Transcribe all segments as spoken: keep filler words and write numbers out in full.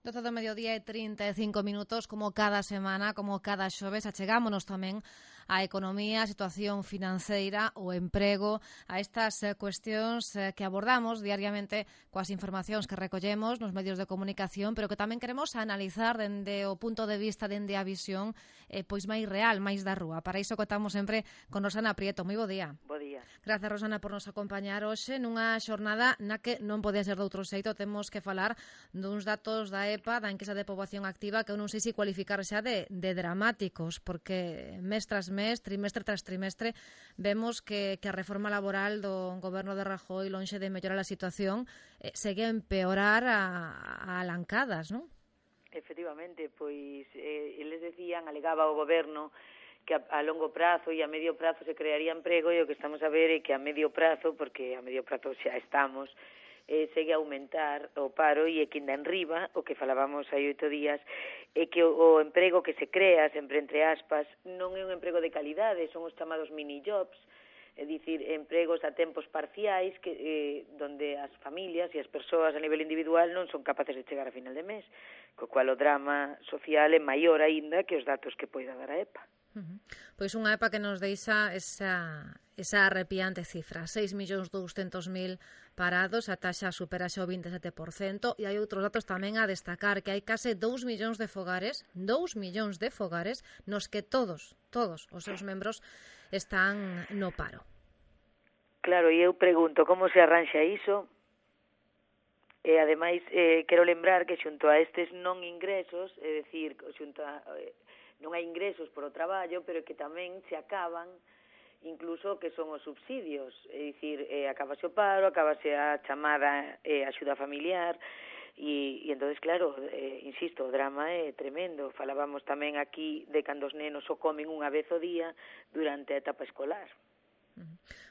doce do mediodía e trinta e cinco minutos, como cada semana, como cada xoves, achegámonos tamén á economía, a situación financeira, o emprego, a estas eh, cuestións eh, que abordamos diariamente coas informacións que recollemos nos medios de comunicación, pero que tamén queremos analizar dende o punto de vista, dende a visión eh, pois máis real, máis da rúa. Para iso contamos sempre con Rosana Prieto. Moi bo día. Bo día. Grazas, Rosana, por nos acompañar hoxe nunha xornada na que non podía ser de outro xeito. Temos que falar duns datos da E P A, da enquisa de poboación activa, que eu non sei se cualificar xa de, de dramáticos, porque mes tras mes, trimestre tras trimestre, vemos que, que a reforma laboral do goberno de Rajoy, lonxe de mellorar a situación, eh, segue a empeorar a, a alancadas, non? Efectivamente, pois eh, eles decían, alegaba o goberno que a, a longo prazo e a medio prazo se crearía emprego, e o que estamos a ver é que a medio prazo, porque a medio prazo xa estamos, eh, segue a aumentar o paro, e é que ainda enriba, o que falábamos hai oito días, é que o, o emprego que se crea, sempre entre aspas, non é un emprego de calidade, son os chamados mini-jobs, é dicir, empregos a tempos parciais que eh, donde as familias e as persoas a nivel individual non son capaces de chegar a final de mes, co cual o drama social é maior aínda que os datos que poida dar a E P A. Uh-huh. Pois unha E P A que nos deixa esa, esa arrepiante cifra, seis millóns douscentos mil parados, a taxa supera xa o vinte e sete por cento, e hai outros datos tamén a destacar, que hai case dous millóns de fogares, dous millóns de fogares, nos que todos, todos os seus membros están no paro. Claro, e eu pregunto, como se arranxa iso? E, ademais, eh, quero lembrar que xunto a estes non ingresos, é dicir, xunto a... Eh, non hai ingresos por o traballo, pero que tamén se acaban incluso que son os subsidios, é dicir, eh, acabase o paro, acabase a chamada eh, axuda familiar, e, e entonces, claro, eh, insisto, o drama é tremendo. Falábamos tamén aquí de cando os nenos o comen unha vez o día durante a etapa escolar.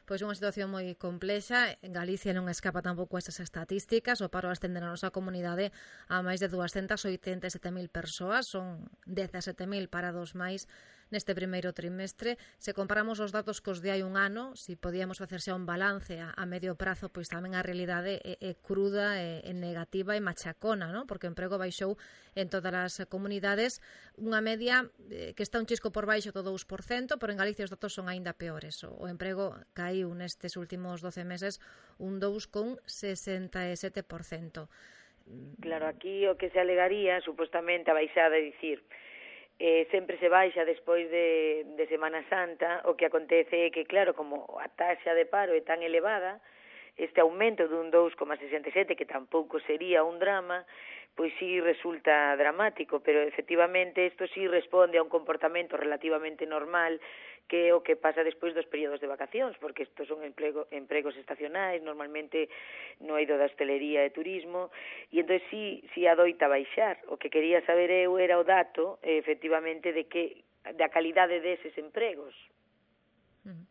Pois unha situación moi complexa. En Galicia non escapa tampouco estas estatísticas. O paro ascende na nosa comunidade a máis de duascentas oitenta e sete mil persoas. Son dezasete mil parados máis neste primeiro trimestre. Se comparamos os datos cos de hai un ano, se podíamos facer xa un balance a, a medio prazo, pois tamén a realidade é, é cruda, é, é negativa e machacona, non? Porque o emprego baixou en todas as comunidades, unha media eh, que está un chisco por baixo do dous por cento, pero en Galicia os datos son aínda peores. O, o emprego caíu nestes últimos doce meses un dous coma sesenta e sete por cento. Claro, aquí o que se alegaría, supostamente, a baixada, é dicir, eh, sempre se baixa despois de, de Semana Santa. O que acontece é que, claro, como a taxa de paro é tan elevada, este aumento dun dous coma sesenta e sete, que tampouco sería un drama, pois sí resulta dramático, pero efectivamente isto sí responde a un comportamento relativamente normal, que é o que pasa despois dos períodos de vacacións, porque estos son emprego, empregos estacionais, normalmente no eido da hostelería e turismo, e entón sí, sí adoita baixar. O que quería saber eu era o dato, efectivamente, de que da calidade deses empregos. Uh-huh.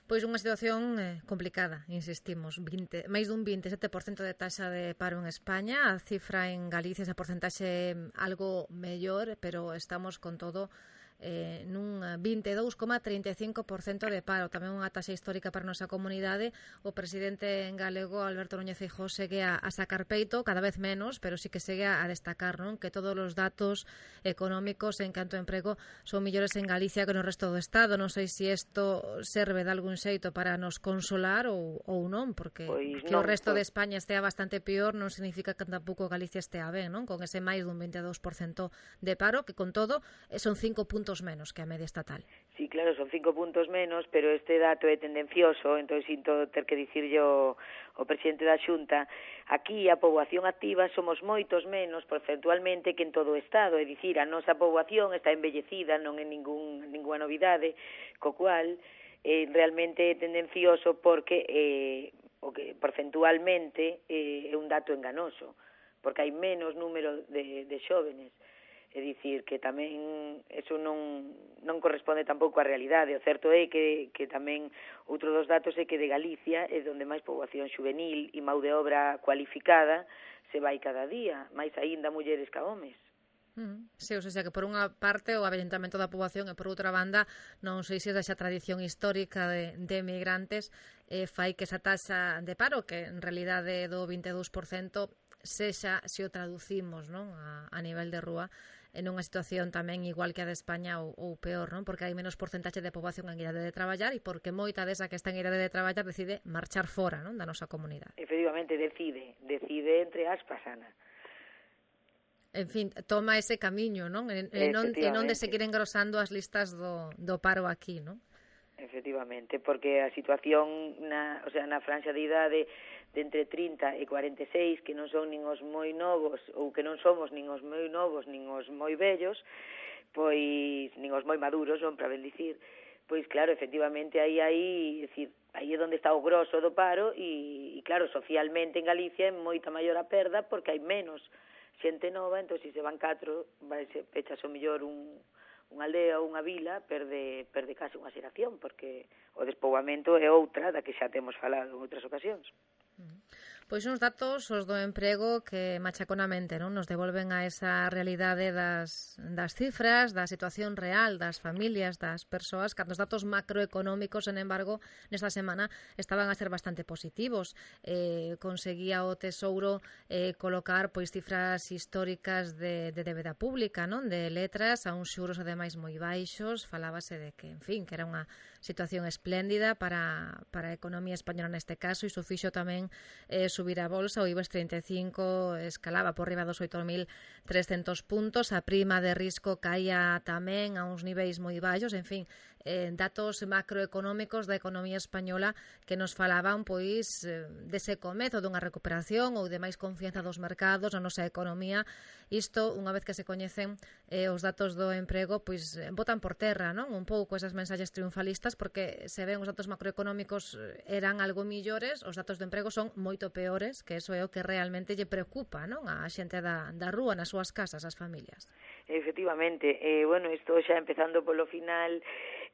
Pois unha situación eh, complicada, insistimos, veinte, máis dun vinte e sete por cento de taxa de paro en España. A cifra en Galicia, esa porcentaxe algo mellor, pero estamos con todo eh, nun vinte e dous coma trinta e cinco por cento de paro, tamén unha taxa histórica para a nosa comunidade. O presidente en galego, Alberto Núñez Feijóo, segue a, a sacar peito, cada vez menos, pero sí que segue a destacar, non? Que todos os datos económicos en canto a emprego son millores en Galicia que no resto do Estado. Non sei se isto serve de algún xeito para nos consolar ou, ou non, porque pois que non, o resto pois... de España estea bastante peor non significa que tampouco Galicia estea ben, non? Con ese máis dun vinte e dous por cento de paro, que con todo son cinco puntos menos que a media estatal. Sí, claro, son cinco puntos menos, pero este dato é tendencioso, entón sinto ter que dicir yo o presidente da Xunta, aquí a poboación activa somos moitos menos porcentualmente que en todo o Estado, é dicir, a nosa poboación está envellecida, non é ningún, ninguna novidade, co cual eh, realmente é tendencioso porque eh, o que porcentualmente eh, é un dato enganoso, porque hai menos número de, de xóvenes. É dicir, que tamén eso non, non corresponde tampouco á realidade. O certo é que, que tamén outro dos datos é que de Galicia é onde máis poboación juvenil e mão de obra cualificada se vai cada día, máis aínda mulleres ca homes. Mm, sí, o sea que por unha parte o avellentamento da poboación e por outra banda non sei se esa tradición histórica de, de emigrantes eh, fai que esa taxa de paro, que en realidade é do vinte e dous por cento, sexa, se o traducimos, non, a, a nivel de rúa, en unha situación tamén igual que a de España ou, ou peor, non? Porque hai menos porcentaxe de poboación en idade de traballar e porque moita desa que está en idade de traballar decide marchar fora, non, da nosa comunidade. Efectivamente, decide, decide entre aspas, Ana. En fin, toma ese camiño, non? E, e non, e non de seguir engrosando as listas do, do paro aquí, non? Efectivamente, porque a situación na, o sea, na franxa de idade de entre trinta e cuarenta e seis, que non son nin os moi novos, ou que non somos nin os moi novos, nin os moi vellos, pois, nin os moi maduros, non, para ben dicir, pois claro, efectivamente, aí, aí, decir, aí é onde está o grosso do paro, e, e claro, socialmente en Galicia é moita maior a perda, porque hai menos xente nova, entón, se se van catro, vai se pechas o mellor un unha aldea ou unha vila, perde, perde case unha xeración, porque o despoboamento é outra da que xa temos falado en outras ocasións. Pois uns datos, os do emprego, que machaconamente non nos devolven a esa realidade das, das cifras, da situación real das familias, das persoas, cando os datos macroeconómicos, en embargo, nesta semana estaban a ser bastante positivos. Eh, conseguía o Tesouro eh, colocar pois cifras históricas de, de débeda pública, non? De letras a uns xuros ademais moi baixos. Falábase de que, en fin, que era unha situación espléndida para, para a economía española neste caso, e iso fixo tamén eh, subir a bolsa. O IBEX treinta e cinco escalaba por riba dos oito mil trescentos puntos, a prima de risco caía tamén a uns niveis moi baixos, en fin, eh, datos macroeconómicos da economía española que nos falaban pois eh, dese comezo dunha recuperación ou de máis confianza dos mercados na nosa economía. Isto, unha vez que se coñecen eh, os datos do emprego, pois eh, botan por terra, non? Un pouco esas mensaxes triunfalistas, porque se ven os datos macroeconómicos eran algo millores, os datos do emprego son moito peores, que eso é o que realmente lle preocupa, non? A xente da, da rúa, nas súas casas, as familias. Efectivamente, eh, bueno, isto xa empezando polo final,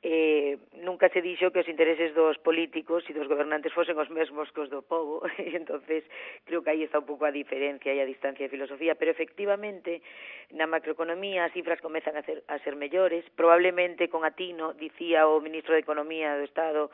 eh, nunca se dixo que os intereses dos políticos e dos gobernantes fosen os mesmos que os do povo, e entonces creo que aí está un pouco a diferencia e a distancia de filosofía, pero efectivamente na macroeconomía as cifras comezan a ser, a ser mellores, probablemente con atino, dicía o ministro de Economía do Estado,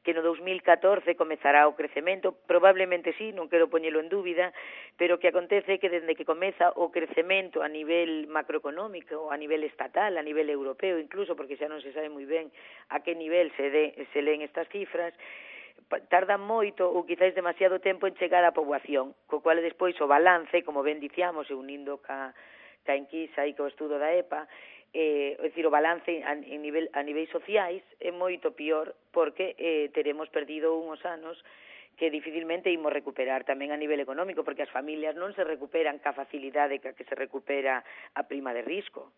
que no dos mil catorce comezará o crecemento, probablemente sí, non quero poñelo en dúbida, pero que acontece que dende que comeza o crecemento a nivel macroeconómico, a nivel estatal, a nivel europeo incluso, porque xa non se sabe moi ben a que nivel se, de, se leen estas cifras, tarda moito ou quizáis demasiado tempo en chegar á poboación, co cual despois o balance, como ben dicíamos, e unindo ca, ca enquisa e co estudo da E P A, eh, é dicir, o balance a, a, nivel, a niveis sociais é moito pior, porque eh, teremos perdido uns anos que dificilmente imos recuperar tamén a nivel económico, porque as familias non se recuperan ca facilidade ca que se recupera a prima de risco.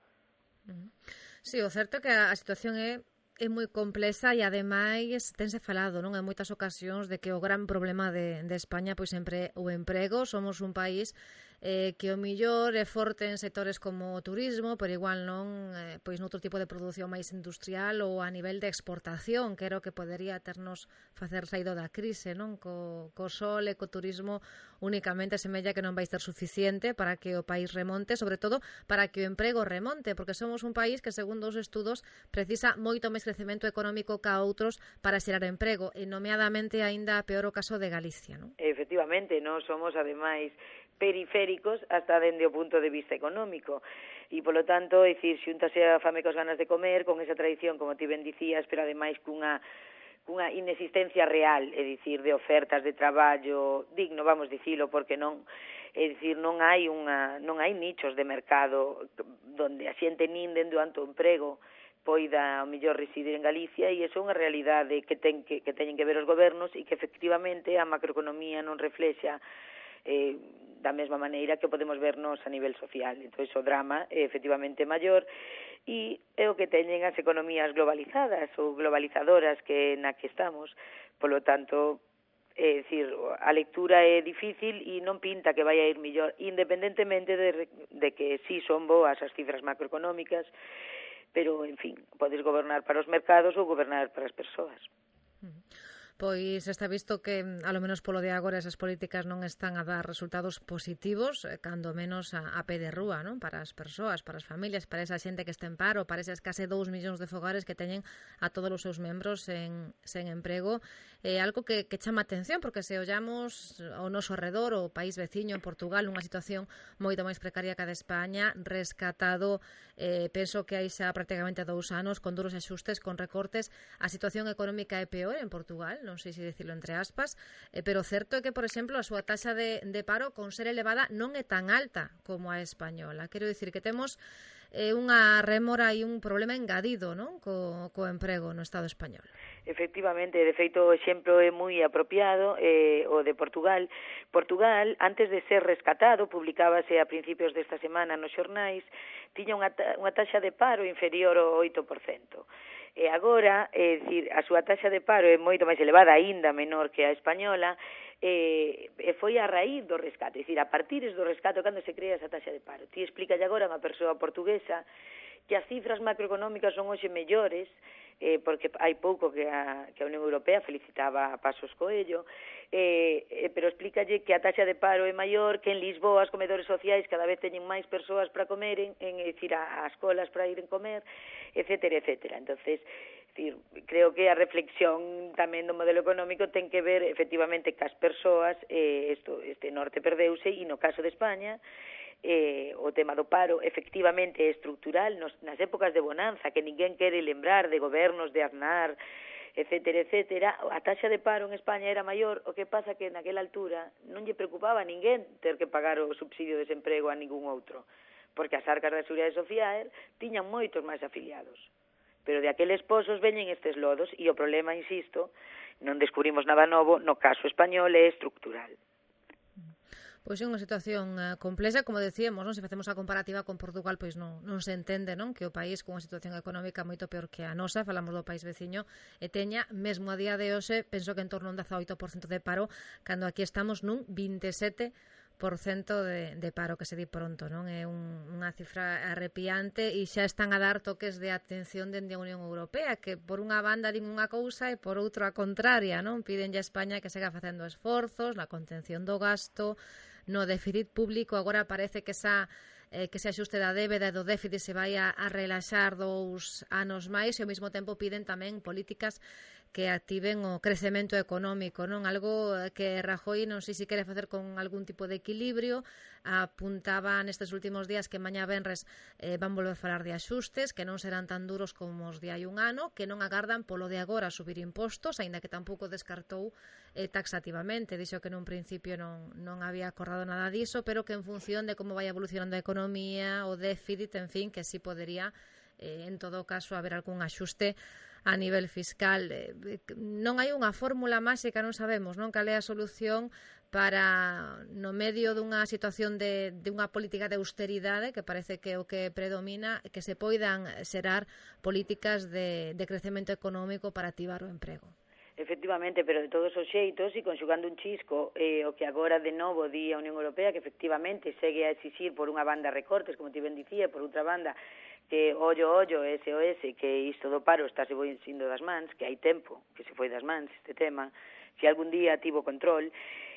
Sí, o certo é que a situación é é moi complexa e ademais tense falado, non, en moitas ocasións de que o gran problema de, de España pois sempre o emprego. Somos un país eh, que o millor é forte en sectores como o turismo, pero igual non eh, pois noutro tipo de produción máis industrial ou a nivel de exportación, que era o que podería ternos facer saído da crise, non? Co, co sol e co turismo únicamente semella que non vai ser suficiente para que o país remonte, sobre todo para que o emprego remonte, porque somos un país que, segundo os estudos, precisa moito máis crecemento económico ca outros para xerar emprego, e nomeadamente aínda peor o caso de Galicia, non? Efectivamente, non somos ademais periféricos hasta dende o punto de vista económico, e polo tanto, é dicir, xuntase a fame cos ganas de comer, con esa tradición, como ti ben dicías, pero ademais cunha cunha inexistencia real, é dicir, de ofertas de traballo digno, vamos dicilo, porque non, é dicir, non hai unha non hai nichos de mercado donde a xente nin dende o alto emprego poida ao mellor residir en Galicia, e iso é unha realidade que ten que, que teñen que ver os gobernos, e que efectivamente a macroeconomía non reflexa eh, da mesma maneira que podemos vernos a nivel social. Entón, o drama é efectivamente maior, e é o que teñen as economías globalizadas ou globalizadoras que na que estamos. Polo tanto, é dicir, a lectura é difícil e non pinta que vai a ir mellor, independentemente de, de que sí son boas as cifras macroeconómicas, pero, en fin, podes gobernar para os mercados ou gobernar para as persoas. Pois está visto que, ao menos polo de agora, esas políticas non están a dar resultados positivos, cando menos a, a pé de rúa, non? Para as persoas, para as familias, para esa xente que está en paro, para esas case dous millóns de fogares que teñen a todos os seus membros en, sen emprego. É algo que, que chama atención, porque se ollamos ao noso arredor, o país veciño, en Portugal, nunha situación moito máis precaria que a de España, rescatado, eh, penso que hai xa prácticamente dous anos, con duros axustes, con recortes, a situación económica é peor en Portugal, non sei se dicilo entre aspas, eh, pero certo é que, por exemplo, a súa taxa de, de paro, con ser elevada, non é tan alta como a española. Quero dicir que temos eh, unha rémora e un problema engadido, non? Co, co emprego no Estado español. Efectivamente, de feito o exemplo é moi apropiado, eh, o de Portugal. Portugal, antes de ser rescatado, publicábase a principios desta semana nos xornais, tiña unha, ta unha taxa de paro inferior ao oito por cento. E agora, é dicir, a súa taxa de paro é moito máis elevada, aínda menor que a española, e, e foi a raíz do rescate, é dicir, a partir do rescate cando se crea esa taxa de paro. Ti explícalle agora a unha persoa portuguesa que as cifras macroeconómicas son hoxe mellores, eh, porque hai pouco que a, que a Unión Europea felicitaba a Pasos Coello, eh, eh, pero explícalle que a taxa de paro é maior, que en Lisboa os comedores sociais cada vez teñen máis persoas para comeren, en, é dicir, as colas para ir en comer, etcétera, etcétera. Entonces, decir, creo que a reflexión tamén do modelo económico ten que ver efectivamente cas persoas, eh, esto, este norte perdeuse, e no caso de España, eh, o tema do paro efectivamente é estructural nos, nas épocas de bonanza que ninguén quere lembrar de gobernos de Aznar, etcétera, etcétera, a taxa de paro en España era maior, o que pasa que naquela altura non lle preocupaba a ninguén ter que pagar o subsidio de desemprego a ningún outro, porque as arcas da Seguridade Social tiñan moitos máis afiliados. Pero de aqueles pozos veñen estes lodos e o problema, insisto, non descubrimos nada novo, no caso español é estructural. Pois é unha situación uh, complexa, como decíamos, non? Se facemos a comparativa con Portugal, pois non, non se entende, non? Que o país con unha situación económica moito peor que a nosa, falamos do país veciño, e teña, mesmo a día de hoxe, penso que en torno a un dezaoito por cento de paro, cando aquí estamos nun vinte e sete por cento de, de paro, que se di pronto, non? É un, unha cifra arrepiante e xa están a dar toques de atención dende a Unión Europea, que por unha banda din unha cousa e por outra a contraria, non? Pídenlle a España que siga facendo esforzos na contención do gasto, no déficit público. Agora parece que esa eh, que se axuste da débeda e do déficit se vai a, a relaxar dous anos máis, e ao mesmo tempo piden tamén políticas que activen o crecemento económico, non? Algo que Rajoy non sei se quere facer con algún tipo de equilibrio. Apuntaba nestes últimos días que mañá venres eh, van volver a falar de axustes, que non serán tan duros como os de hai un ano, que non agardan polo de agora subir impostos, aínda que tampouco descartou eh, taxativamente. Dixo que nun principio non, non había acordado nada diso, pero que en función de como vai evolucionando a economía, o déficit, en fin, que sí podería, eh, en todo caso, haber algún axuste a nivel fiscal. Non hai unha fórmula máxica, non sabemos, non? Cal é a solución para, no medio dunha situación de, de unha política de austeridade, que parece que é o que predomina, que se poidan xerar políticas de, de crecemento económico para activar o emprego. Efectivamente, pero de todos os xeitos, e conxugando un chisco, eh, o que agora de novo di a Unión Europea, que efectivamente segue a exixir por unha banda recortes, como ti ben dicía, por outra banda que ollo, ollo, S O S, que isto do paro está se foi indo das mans, que hai tempo que se foi das mans este tema, se algún día tivo control.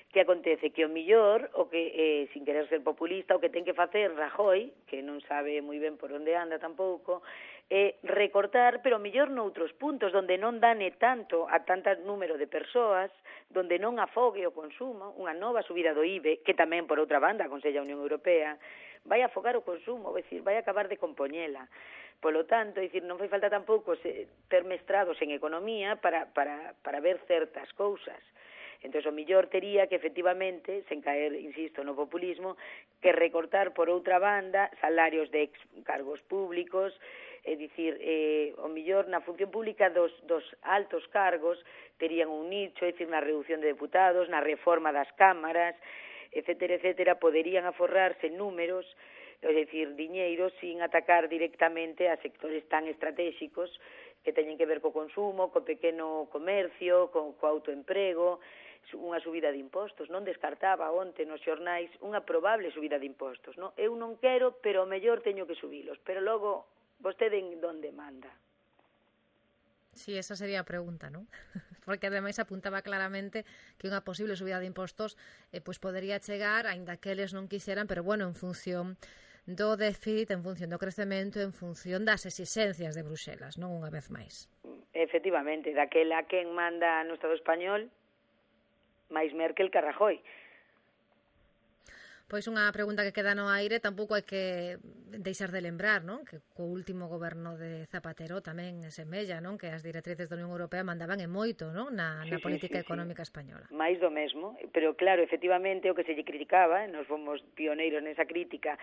Que acontece? Que o millor, o que, eh, sin querer ser populista, o que ten que facer Rajoy, que non sabe moi ben por onde anda tampouco, é recortar, pero o millor noutros puntos, donde non dane tanto a tanto número de persoas, donde non afogue o consumo, unha nova subida do I B E, que tamén, por outra banda, aconsella a Unión Europea, vai a afogar o consumo, é dicir, vai a acabar de compoñela. Polo tanto, é dicir, non fai falta tampouco ter mestrados en economía para, para, para ver certas cousas. Entón, o millor tería que, efectivamente, sen caer, insisto, no populismo, que recortar, por outra banda, salarios de ex cargos públicos, é dicir, eh, o millor na función pública dos, dos altos cargos terían un nicho, é dicir, na reducción de deputados, na reforma das cámaras, etcétera, etcétera, poderían aforrarse números, é dicir, diñeiro, sin atacar directamente a sectores tan estratégicos que teñen que ver co consumo, co pequeno comercio, co, co autoemprego, unha subida de impostos. Non descartaba onte nos xornais unha probable subida de impostos, non? Eu non quero, pero o mellor teño que subilos, pero logo vostede en donde manda. Sí, esa sería a pregunta, non? Porque ademais apuntaba claramente que unha posible subida de impostos eh, pois podería chegar, aínda que eles non quixeran, pero bueno, en función do déficit, en función do crecemento, en función das exixencias de Bruxelas, non unha vez máis. Efectivamente, daquela quen manda no Estado español, máis Merkel que Rajoy. Pois unha pregunta que queda no aire, tampouco hai que deixar de lembrar, non? Que co último goberno de Zapatero tamén semella, non? Que as directrices da Unión Europea mandaban e moito, non? Na, sí, na sí, política sí, económica sí. española. Mais do mesmo, pero claro, efectivamente o que se lle criticaba, nos fomos pioneiros nesa crítica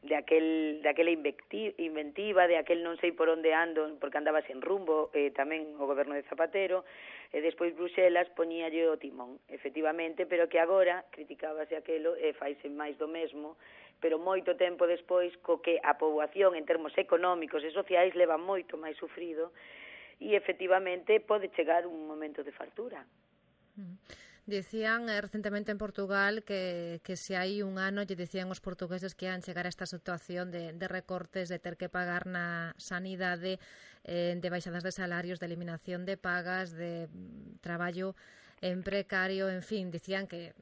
de aquel, de aquela inventiva, de aquel non sei por onde ando, porque andaba sen rumbo, eh, tamén o goberno de Zapatero, e despois Bruxelas poñíalle o timón, efectivamente, pero que agora criticábase aquelo e faise máis do mesmo, pero moito tempo despois, co que a poboación en termos económicos e sociais leva moito máis sufrido, e efectivamente pode chegar un momento de fartura. Mm. Dicían eh, recentemente en Portugal que, que se hai un ano lle dicían os portugueses que ian chegar a esta situación de, de recortes, de ter que pagar na sanidade, eh, de baixadas de salarios, de eliminación de pagas, de mm, traballo en precario, en fin, dicían que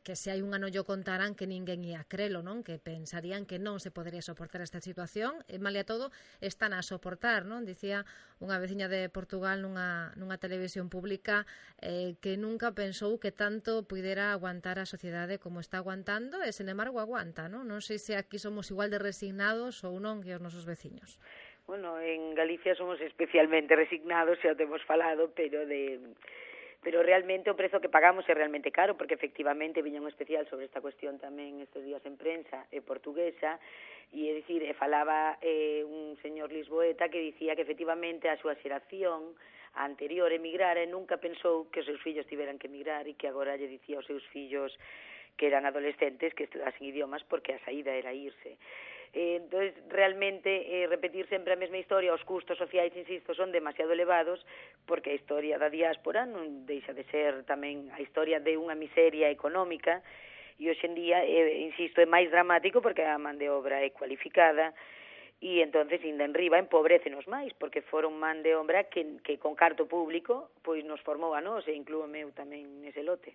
que se hai un ano yo contaran que ninguén ia crelo, non? Que pensarían que non se podería soportar esta situación, e malia todo están a soportar, non? Dicía unha veciña de Portugal nunha, nunha televisión pública eh, que nunca pensou que tanto puidera aguantar a sociedade como está aguantando, e sen embargo aguanta, non? Non sei se aquí somos igual de resignados ou non que os nosos veciños. Bueno, en Galicia somos especialmente resignados, xa o temos falado, pero de... pero realmente o prezo que pagamos é realmente caro, porque efectivamente viña un especial sobre esta cuestión tamén estes días en prensa eh, portuguesa, e é dicir, e falaba eh, un señor lisboeta que dicía que efectivamente a súa xeración a anterior emigrara e nunca pensou que os seus fillos tiveran que emigrar, e que agora lle dicía aos seus fillos que eran adolescentes que estudasen idiomas porque a saída era irse. Eh, entonces, realmente, eh, repetir sempre a mesma historia, os custos sociais, insisto, son demasiado elevados, porque a historia da diáspora non deixa de ser tamén a historia de unha miseria económica, e hoxe en día, eh, insisto, é máis dramático porque a man de obra é cualificada, e entonces, ainda en riba, empobrécenos máis, porque foron man de obra que, que con carto público pois nos formou a nós, e inclúome eu tamén nese lote.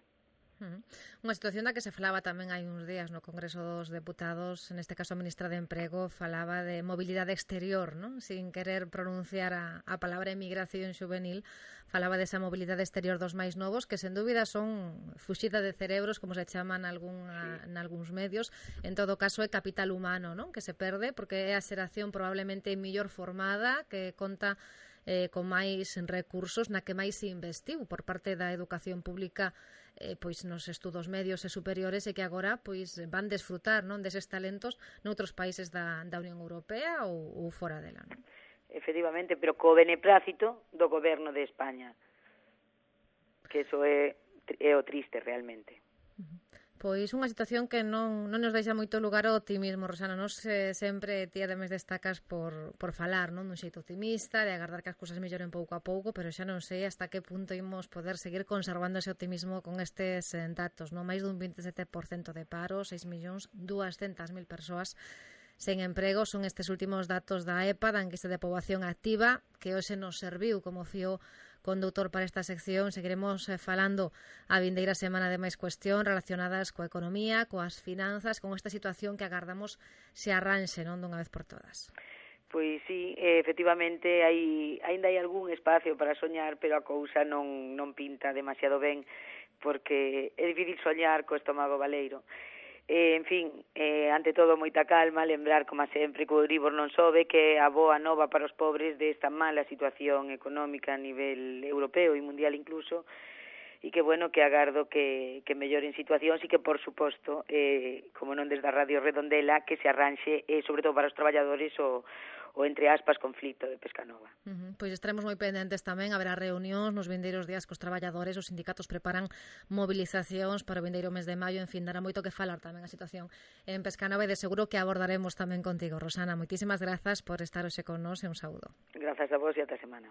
Uh-huh. Unha situación da que se falaba tamén hai uns días no Congreso dos Deputados, neste caso a ministra de Emprego falaba de mobilidade exterior, non? Sin querer pronunciar a, a palabra emigración juvenil, falaba desa mobilidade exterior dos máis novos, que sen dúbida son fuxida de cerebros, como se chaman algún, a, en algúns medios. En todo caso é capital humano, non? Que se perde, porque é a xeración probablemente mellor formada, que conta eh, con máis recursos, na que máis se investiu por parte da educación pública eh, pois nos estudos medios e superiores, e que agora pois van desfrutar, non, deses talentos noutros países da, da Unión Europea ou, ou fora dela, non? Efectivamente, pero co beneplácito do goberno de España, que eso é, é o triste realmente. Uh-huh. Pois unha situación que non, non nos deixa moito lugar ao optimismo, Rosana. Nos eh, sempre ti ademais destacas por, por falar, non, dun xeito optimista, de agardar que as cousas melloren pouco a pouco, pero xa non sei hasta que punto imos poder seguir conservando ese optimismo con estes eh, datos, non? Máis dun vinte e sete por cento de paro, seis millóns duascentas mil persoas sen emprego. Son estes últimos datos da E P A, da enquisa de poboación activa, que hoxe nos serviu como fío condutor para esta sección. Seguiremos eh, falando a vindeira semana de máis cuestión relacionadas coa economía, coas finanzas, con esta situación que agardamos se arranxe, non, dunha vez por todas. Pois sí, efectivamente, hai, ainda hai algún espacio para soñar, pero a cousa non, non pinta demasiado ben, porque é difícil soñar co estómago baleiro. Eh, en fin, eh, ante todo moita calma, lembrar, como sempre, que o Euribor non sobe, que é a boa nova para os pobres desta mala situación económica a nivel europeo e mundial incluso, e que, bueno, que agardo que, que melloren situacións e que, por suposto, eh, como non desde a Radio Redondela, que se arranxe, eh, sobre todo para os traballadores, o, o entre aspas, conflito de Pescanova. Uh-huh. Pois estaremos moi pendentes tamén, haberá reunións nos vindeiros días cos traballadores, os sindicatos preparan movilizacións para o vindeiro mes de maio, en fin, dará moito que falar tamén a situación en Pescanova, e de seguro que abordaremos tamén contigo, Rosana. Moitísimas grazas por estar hoxe con nós, e un saúdo. Grazas a vos e ata semana.